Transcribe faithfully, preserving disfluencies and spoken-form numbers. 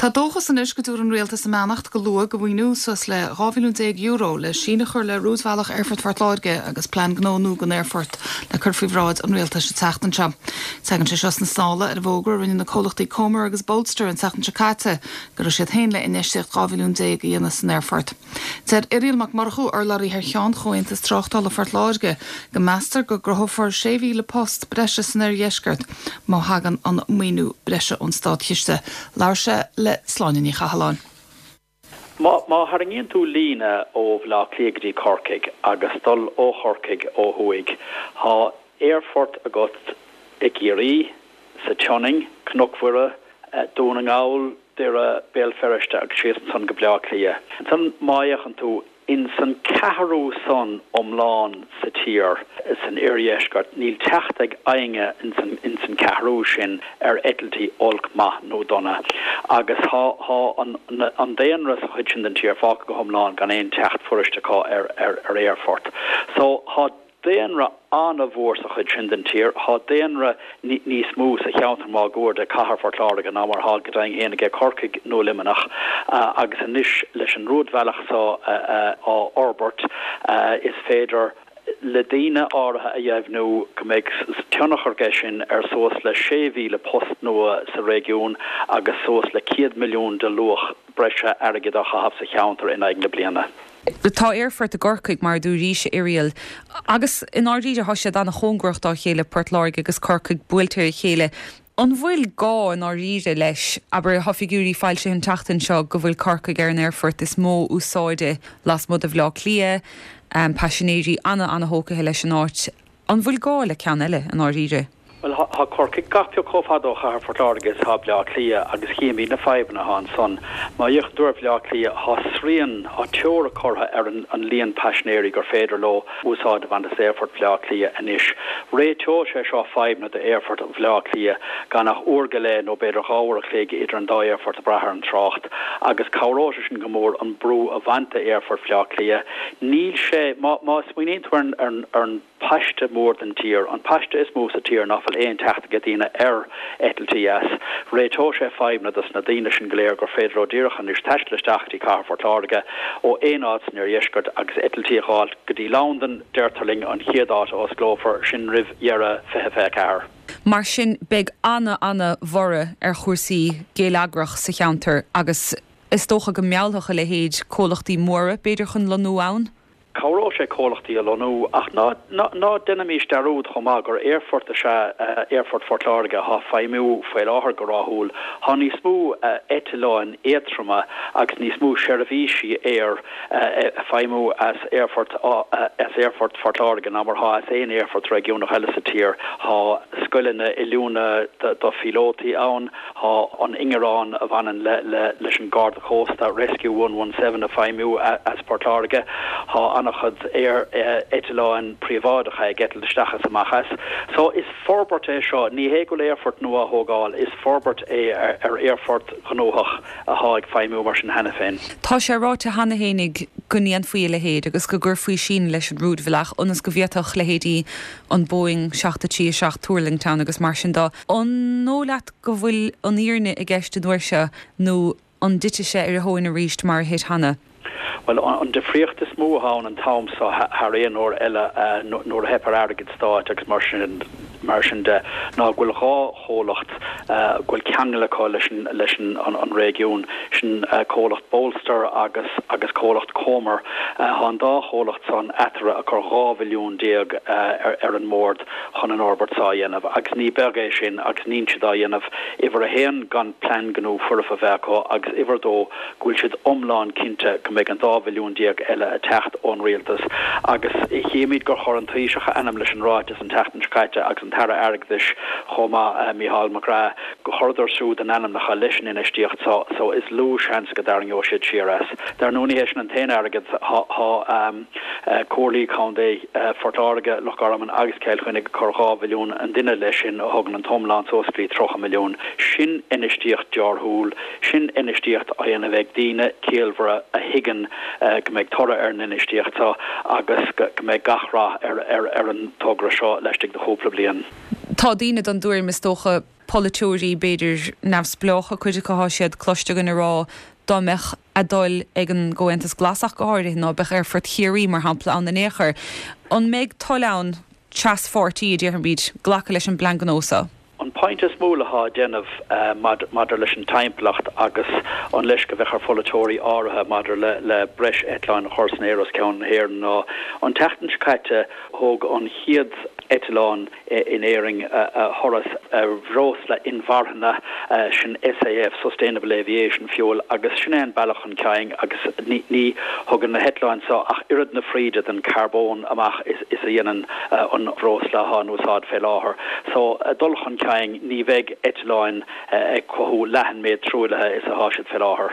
Tá dóchas anois go dtabharfaidh an rialtas a mbeannacht go luath do mhaoiniú suas le dhá mhilliún déag euro le síneadh a chur le rúidbhealach Aerfort Phort Láirge agus plean gnó nua don aerfort le cur faoi bhráid an rialtais an tseachtain seo. Tagann sé seo sna sála ar an bhfógra a rinne na comhlachtaí Comer agus Bolster an tseachtain seo caite go raibh siad féin le infheistíocht dhá mhilliún déag a dhéanamh san aerfort. Deir Irial Mac Murchú urlabhraí thar cheann Chomhaontas Tráchtála Phort Láirge go meastar go gcruthófar sé mhíle post breise san oirdheisceart má thagann an maoiniú breise ón státchiste. Labhair sé le Sláine Ní Chathalláin. Má má tharraingíonn tú líne ó Bhaile Átha Cliath go dtí Corcaigh agus dul ó Chorcaigh ó thuaidh, tá aerfort agat i gCiarraí, sa Tsionainn, Cnoc Mhuire, Dún na nGall, Doire, Béal Feirste agus síos ansan go Baile Átha Cliath. Ansan má fhéachann tú in san ceathrú san iomlán sa tír san oirdheisceart, níl teacht ag éinne in san in san ceathrú sin ar eitiltí olc maith nó dona. Agus tá tá an an daonra sa chuid sin den tír fágtha go hiomlán gan aon teacht fuirist acu ar ar ar aerfort. So tá daonra an-mhór sa chuid sin den tír, tá daonra níos mó sa cheantar máguaird de chathair Phort Láirge ná mar atá go deimhin féin aige Corcaigh nó Luimneach agus anois leis an rúidbhealach seo á fhorbairt is féidir le daoine áirithe a dheimhniú go mbeidh tionchar aige sin ar suas le sé mhíle post nua sa réigiún agus suas le céad milliún de luach breise airgid á chaitheamh sa cheantar in aghaidh na bliana. Tá aerfort i gCorcaigh mar dúraís Irial agus i ndáiríre tá siad an-chóngarach dá chéile Port Láirge agus Corcaigh buailte ar a chéile. An bhfuil gá i ndáiríre leis abair tá figiúirí foilsithe an tseachtain seo go bhfuil Corcaigh ar an aerfort is mó úsáide lasmuigh de Bhaile Átha Cliath, um, paisinéirí ana ana-thógtha leis an áit. An bhfuil gá le ceann eile i ndáiríre? Well tá Corcaigh gach pioc chomh fada ó chathair Phort Láirge is atá Baile Átha Cliath agus chímid na fadhbanna atá ansan. Má fhéachann tú ar Bhaile Átha Cliath tá srian tá teora curtha ar an, an líon paisinéirí gur féidir leo úsáid a bhaint as aerfort Bhaile Átha Cliath anois. Réiteoidh sé seo fadhbanna d'aerfort Bhaile Átha Cliath gan ach uair go leith nó b'fhéidir dhá uair a chloig idir an dá aerfort ag brath ar an trácht agus cabhróidh sé sin go mór an brú a bhaint d'aerfort Bhaile Átha Cliath. Níl sé má má smaoiníonn tú ar ar ar an paiste mór den tír, an paiste is mó sa tír nach bhfuil aon teacht ag daoine ar eitiltí as. Réiteoidh sé fadhbanna dos na daoine sin go léir gur féidir leo díreach anois taisteal isteach dtí cathair Phort Láirge ó aon áit san oirdheisceart agus eitiltí a fháil go dtí Londain deirtear linn an chéad áit a osclófar sin roimh dheireadh fiche fiche ceathair. Mar sin beidh ana ana-bhorradh ar chúrsaí geilleagrach sa cheantar agus is dócha go meallfadh a leithéid comhlachtaí móra b'fhéidir chun lonnú ann? Cabhróidh sé comhlachtaí a lonnú ach ná ná déanaimis dearúd chomh maith gur aerfort is ea aerfort Phort Láirge atá ag feidhmiú faoi láthair go rathúil. Tá níos mó eitleáin éadtroma agus níos mó seirbhísí aeir ag feidhmiú as aerfort as aerfort Phort Láirge ná mar atá as aon aerfort réigiúnach eile sa tír. Tá scoileanna oiliúna do phíolótaí ann, tá an ingearán a bhaineann le le leis an Garda Cósta Rescue one one seven ag feidhmiú as Port Láirge. Tá an-chuid aer eitleáin príobháideacha ag eitilt isteach is amach as. So is forbairt é seo, ní hé go bhfuil aerfort nua á thógáil, is forbairt é ar ar aerfort gnóthach atá ag feidhmiú mar sin cheana féin. Tá sé ráite cheana féinig go ndéanfaí a leithéid agus go gcuirfí síneadh leis an rúidbhealach ionas go bhféadfadh leithéidí an Boeing seacht a trí a seacht tuirlingt ann agus mar sin de. An dóigh leat go bhfuil an fhírinne i gceist an uair seo nó an dtitfidh sé ar a thóin arís mar a thit cheana? Well an difríocht is mó atá ann an t-am seo thar aon uair eile nuair a theip ar airgead stáit agus mar sin mar sin de ná go bhfuil dhá chomhlacht go bhfuil ceangal acu leis an leis an an réigiún sin comhlacht Bolster agus agus comhlacht Comer. Tá an dá chomhlacht san eatarthu ag cur dhá mhilliún déag ar ar an mbord chun an fhorbairt seo a dhéanamh agus ní beag é sin agus níl siad á dhéanamh uimhir a haon gan plean gnó foirfe a bheith acu agus uimhir a dó go bhfuil siad iomlán cinnte go mbeidh an dá mhilliún déag eile ag teacht ón rialtas agus chímid gur chuir an Taoiseach a ainm leis an ráiteas an tseachtain seo caite agus an tAire Airgeadais chomh maith Mícheál McGrath go chuireadar siúd a n-ainmneacha leis an infheistíocht so so is lú seans go dtarraingeoidh siad siar as. Dar ndóigh ní hé sin an t-aon airgead tá Comhairlí Contae Phort Láirge, Loch Garman agus Cill Chainnigh ag cur dhá mhilliún an duine leis sin a thugann an t-iomlán suas go dtí tríocha milliún. Sin infheistíocht dearthúil, sin infheistíocht á dhéanamh ag daoine ciallmhara a thuigeann go mbeidh toradh ar an infheistíocht seo agus go mbeidh gach rath ar ar ar an togra seo laistigh de chúpla bliain. Tá daoine den tuairim is dócha Polaiteoirí b'fhéidir neamhspleácha, cuid acu tá siad cloiste againn ag rá dá mbeadh a dtoil ag an gComhaontas Glas ach go háirithe ná beadh Aerfort Chiarraí mar shampla ann in aon chor. An mbeidh toil ann traspháirtí a déarfaimid glacadh leis an bplean gnó seo? An pointe is mó atá á déanamh maidir leis an timpeallacht agus an leisce a bheadh ar pholaiteoirí áirithe maidir le breis eitleáin a chur san aer os cionn na hÉireann ná an tseachtain seo caite thóg an chéad eitleán in Éirinn a thuras ar bhreosla inmharthana, sin SAF, Sustainable Aviation Fuel, agus sin é an bealach chun cinn agus ní thugann na heitleáin seo ach oiread na fríde den charbón amach is a dhéanann an bhreosla atá in úsáid fé láthair. So dul chun cinn, ní bheidh eitleáin ag cothú leath an méid truaillithe is atá siad fé láthair.